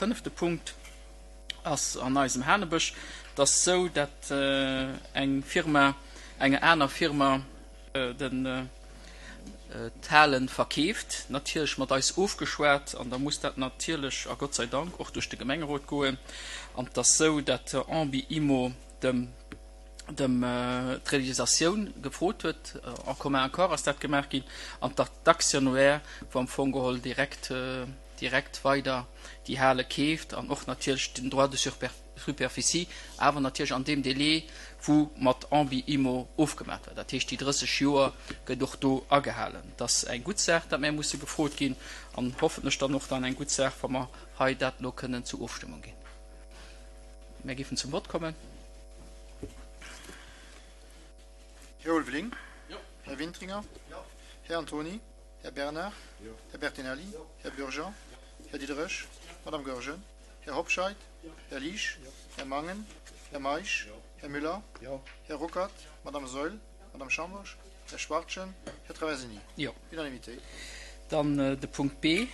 Fënnefte Punkt ass an eisem Hanebësch. Et ass esou, dat eng Firma enger aner Firma den d'Hale verkeeft, natierlech mat eis ofgeschwat, an da muss dat natierlech, a Gott sei Dank, och duerch de Gemengerot goen. An et ass esou, dat Ambi Immo dem dem d'Realisatioun gefrot huet, en commun accord ass dat gemaach ginn, an d'Actionnaire, wou am Fong geholl direkt direkt weider déi Hale keeft an och natierlech den Droit de superficie, awer natierlech an deem Délai, wou mat Ambi Immo ofgemaat war. Dat heescht, déi 30 Joer gëtt och do agehalen. Et ass eng gutt Saach, datt mär musse gefrot ginn an hoffentlech dann och dann eng gutt Saach, wa mer hei dat elo kënnen zur Ofstëmmung ginn. Mär géifen zum Vott kommen. Här Ulveling. Här Wintringer. Här Antony. Här Bernard, Här Bertinelli, Här Bürger, Här Diderich, Madame Goergen, Här Hobscheit, Här Liesch, Här Mangen, Här Meisch, Här Müller, Här Ruckert, Madame Saeul, Madame Schambourg, Här Schwachtgen, Här Traversini. Jo. Unanimité. Dann de Punkt B.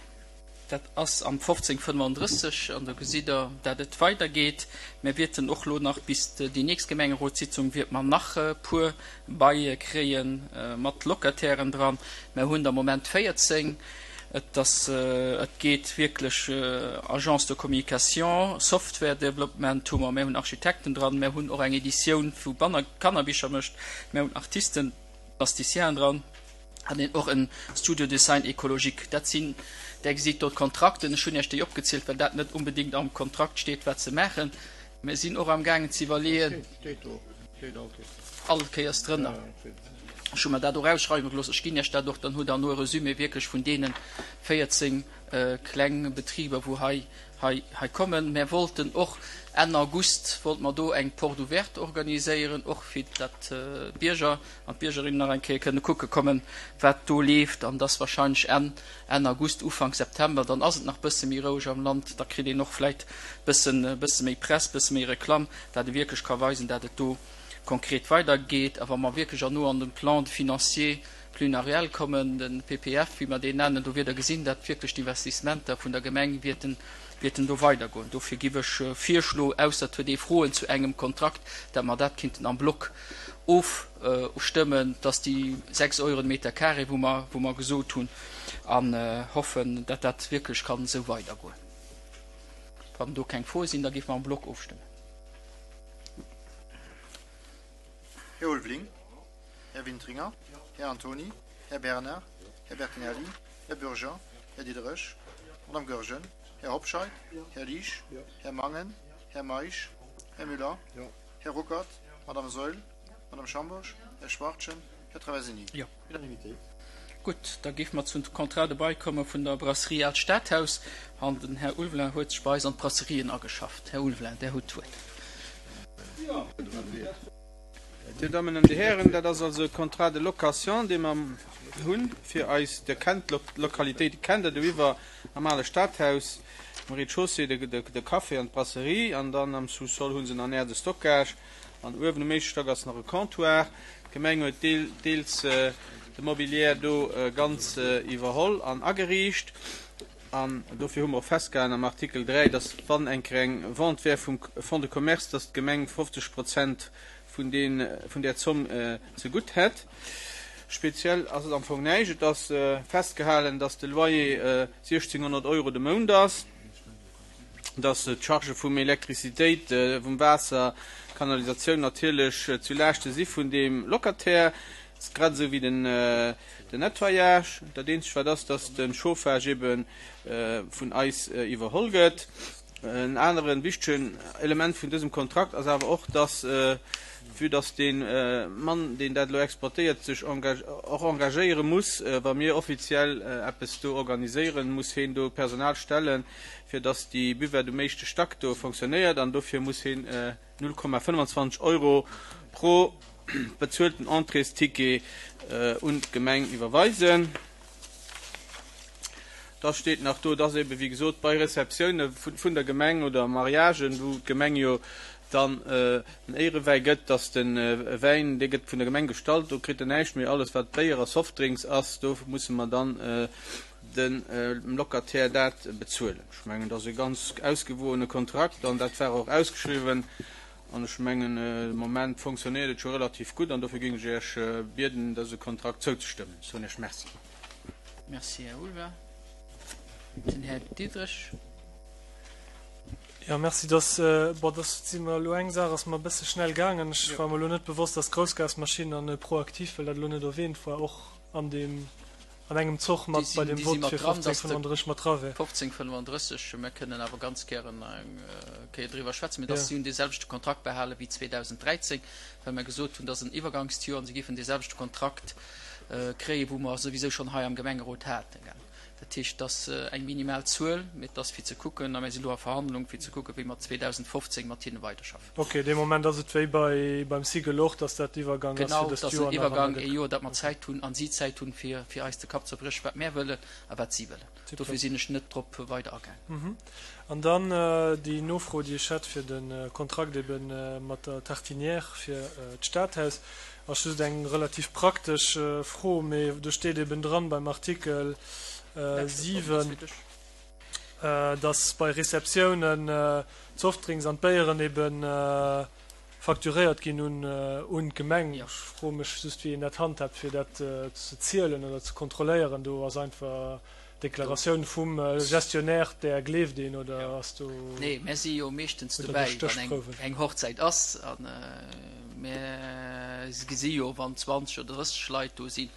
Dat ass am 1535, an do gesitt Der, dat et weidergeet. Mir wierten och elo nach bis déi nächst Gemengerotssitzung wierte mer nach e puer Baile kréie mat Locatairen dran. Mer hunn der am Moment 14. Et ass, et geet wierklech Agence de communication, Software Development hu mer, mer hunn Architekten dran, mer hunn och eng Editioun vu Banner Kannerbicher mécht, mer hunn Artisten, Plasticienen dran. An een och en Studio Design écologique. Dat sinn, Där gesitt do d'Kontrakten. Ech hunn Iech déi opgezielt, well dat net onbedéngt am Kontrakt steet, wat se maachen. Mir sinn och amgaangen ze iwwerleeën. All Kéiers drënner. Ech hu mer dat och ausschreiwe gelooss. Ech ginn Iech dat och, dann hutt Der elo e Resumé wierklech vun deene 14 kleng Betriber, wou hei hei hei kommen. Mär wollten och Enn August wollte mer do eng Porte ouverte organiséieren, och fir datt d'Bierger an d'Biergerinnen nach eng Kéier kënne kucke kommen, wat do leeft. An dass wahrscheinlech Enn Enn August, Ufank September, dann ass et nach bësse méi roueg am Land, da kritt een och vläit bëssen bësse méi Press, bësse méi Reklamm, dat ee wierklech ka weisen, dat et do konkret weidergeet. A wa mer wierklech erno an de Plan de financier pluriannuel kommen, de PPF, wéi mer deen nennen, do wiert Der gesinn, dat wierklech d'Investissementer vun der Gemeng wierten, wierten do weidergoen. Dofir giff ech virschloen, ausser et huet ee Froen zu engem Kontrakt, dat mer dat kinnten am Block ofstëmmen, dass déi 6 Euro de Meter carré, wou mer, wou mer gesot hunn, an hoffen, dat dat wierklech kann esou weidergoen. Wann do keng Froe sinn, da géife mer am Block ofstëmmen. Här Ulveling. Här Wintringer, Här Antony, Här Bernard, Här Bertinelli, Här Bürger, Här Diderich, Madame Goergen, Här Hobscheit, Här Liesch, Här Mangen, Här Meisch, Här Müller, Här Ruckert, Madame Saeul, Madame Schambourg, Här Schwachtgen, Här Traversini. Unanimité. Gutt, da géife mer zum Contrat de bail komme vun der Brasserie Aalt Stadhaus. An den Här Ulveling huet sech bei eis an d'Brasserien ageschafft. Här Ulveling, Där hutt d'Wuert. Dir Dammen an Dir Hären, dat ass also e Contrat de location, dee mer hunn fir eis, Dir kennt d'Lokalitéite, kennt Der doiwwer am ale Stadhaus, um Rez-de-chaussée de Café an d'Brasserie an dann am Sous-sol hu se nach en Aire de stockage an uewen um éischte Stack ass nach e Comptoir. D'Gemeng huet deels de Mobilier do ganz iwwerholl an ageriicht. An dofir hu mer och festgehalen am Artikel 3, dass, wann eng Kéier eng Vente wär vum Fonds de commerce, dass d'Gemeng 50 Prozent vun deen, vun där Zomm zegutt hätt. Speziell ass et am Fong näischt. Et ass festgehalen, dass de Loyer 1.600 Euro de Mount ass, dass d'Chargë vum Elektrizitéit, vum Waasser, Kanalisatioun natierlech zu Laaschte si vun deem Locataire, grad esou wéi den, Den Nettoyage, dat eenzegt wat ass, dass de Chauffage ebe vun eis iwwerholl gëtt. En anere wichtegen Element vun dësem Kontrakt ass awer och, dass, vue dass dee Mann, deen dat elo exploitéiert, sech och engagéiere muss, wa mir offiziell eppes do organiséieren, muss heen do Personal stellen, fir dass déi Buvette um éischte Stack do fonctionnéiert an dofir muss heen 0,25 Euro pro bezuelten Entréesticket un d'Gemeng iwwerweisen. Da steet nach do, dass ebe wéi gesot bei Receptioune vun der Gemeng oder Mariagen, wou d'Gemeng jo dann den Éierewäi gëtt, dass de Wäin, dee gëtt vun der Gemeng gestallt, do kritt en näischt méi. Alles wat Béier a Softdrinks ass, do musse mer dann. de Locataire dat bezuelen. Ech mengen, dat ass e ganz ausgewoene Kontrakt an dat war och ausgeschriwwen. An ech mengen, de Moment fonctionnéiert et scho relativ gutt an dofir géing ech Iech bieden, dëse Kontrakt zouzestëmmen. Ech soen Iech Merci. Merci, Här Ulver. Den Här Diderich. Jo, merci. Dass, bon, dass si mer elo, eng Saach ass mer e bësse schnell gaangen. Ech war mer elo net bewosst, dass d'Groussgasmaschinn an ProActif, well dat elo net erwähnt war, och an deem, an engem Zoch mat bei dem Vott fir 1535 mat dra wär. 1535, mir kënnen awer ganz gären nach eng Kéier driwwer schwätzen, mee dass si hunn dee selwechte Kontrakt behale wéi 2013, well mer gesot hunn, dass en Iwwergangsjoer an si géifen dee selwechte Kontrakt kréien, wou mer souwisou schonn hei am Gemengerot haten. Dat heescht, dass eng minimal Zuel, mee et ass fir ze kucken, a mir si lo a Verhandlung, fir ze kucken, wéi mer 2015 mat hinne weiderschaffen. Ok, dee Moment ass et wéi bei beim Sigel och, dass dat Iwwergang ass fir dëst Joer nach. Genau, et ass en Iwwergang, ee Joer, dat mer Zäit hunn an si Zäit hunn, fir fir eis de Kapp zerbriechen, wat mär wëllen a wat si wëllen. Dofir sinn ech net drop weider agaangen. An dann déi Nofro, déi ech hätt fir de Kontrakt ebe mat der Tartinière fir d'Stadhaus, ass just eng relativ praktesch Fro, mee do steet eben dran beim Artikel 7, dass bei Receptiounen d'Softdrinks an d'Béieren eben facturéiert ginn un d'Gemeng. Ech froe mech just, wéi een dat handhaabt, fir dat ze zielen oder ze kontrolléieren. Do ass einfach d'Deklaratioun vum Gestionnaire, där gleeft een, oder ass do. Nee, mär si jo meeschtens dobäi, wann eng Hochzäit ass. A mär gesi jo, wann 20 oder 30 Leit do sinn.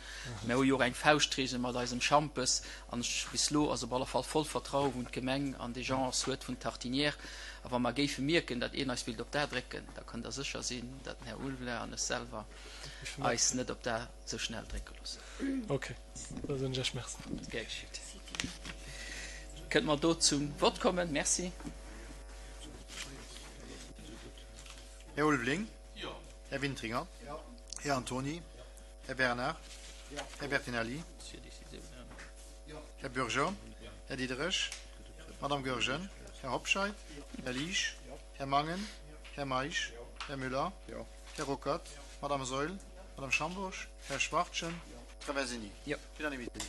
Mär hu jo och eng Fauschtregel mat eisem Schampes. An ech, bis elo ass op alle Fall voll Vertraue wou d'Gemeng an déi Gérance huet vun Tartinière. A wa mer géife mierken, datt een eis wéilt op d'A drécken, da kënnt Der sécher sinn, datt den Här Ulveler an ech selwer eis net op d'A sou schnell drécke loossen. Ok, da soen ech Iech Merci. Gär geschitt. Kënnt mer do zum Vott kommen? Merci. Här Ulveling. Här Wintringer. Här Antoni. Här Bernard. Här Bertinelli. Här Bürger. Här Diderich. Madame Goergen. Här Hobscheit. Här Liesch. Här Mangen. Här Meisch. Här Müller. Här Ruckert. Madame Saeul. Madame Schambourg. Här Schwachtgen. Traversini. Unanimité.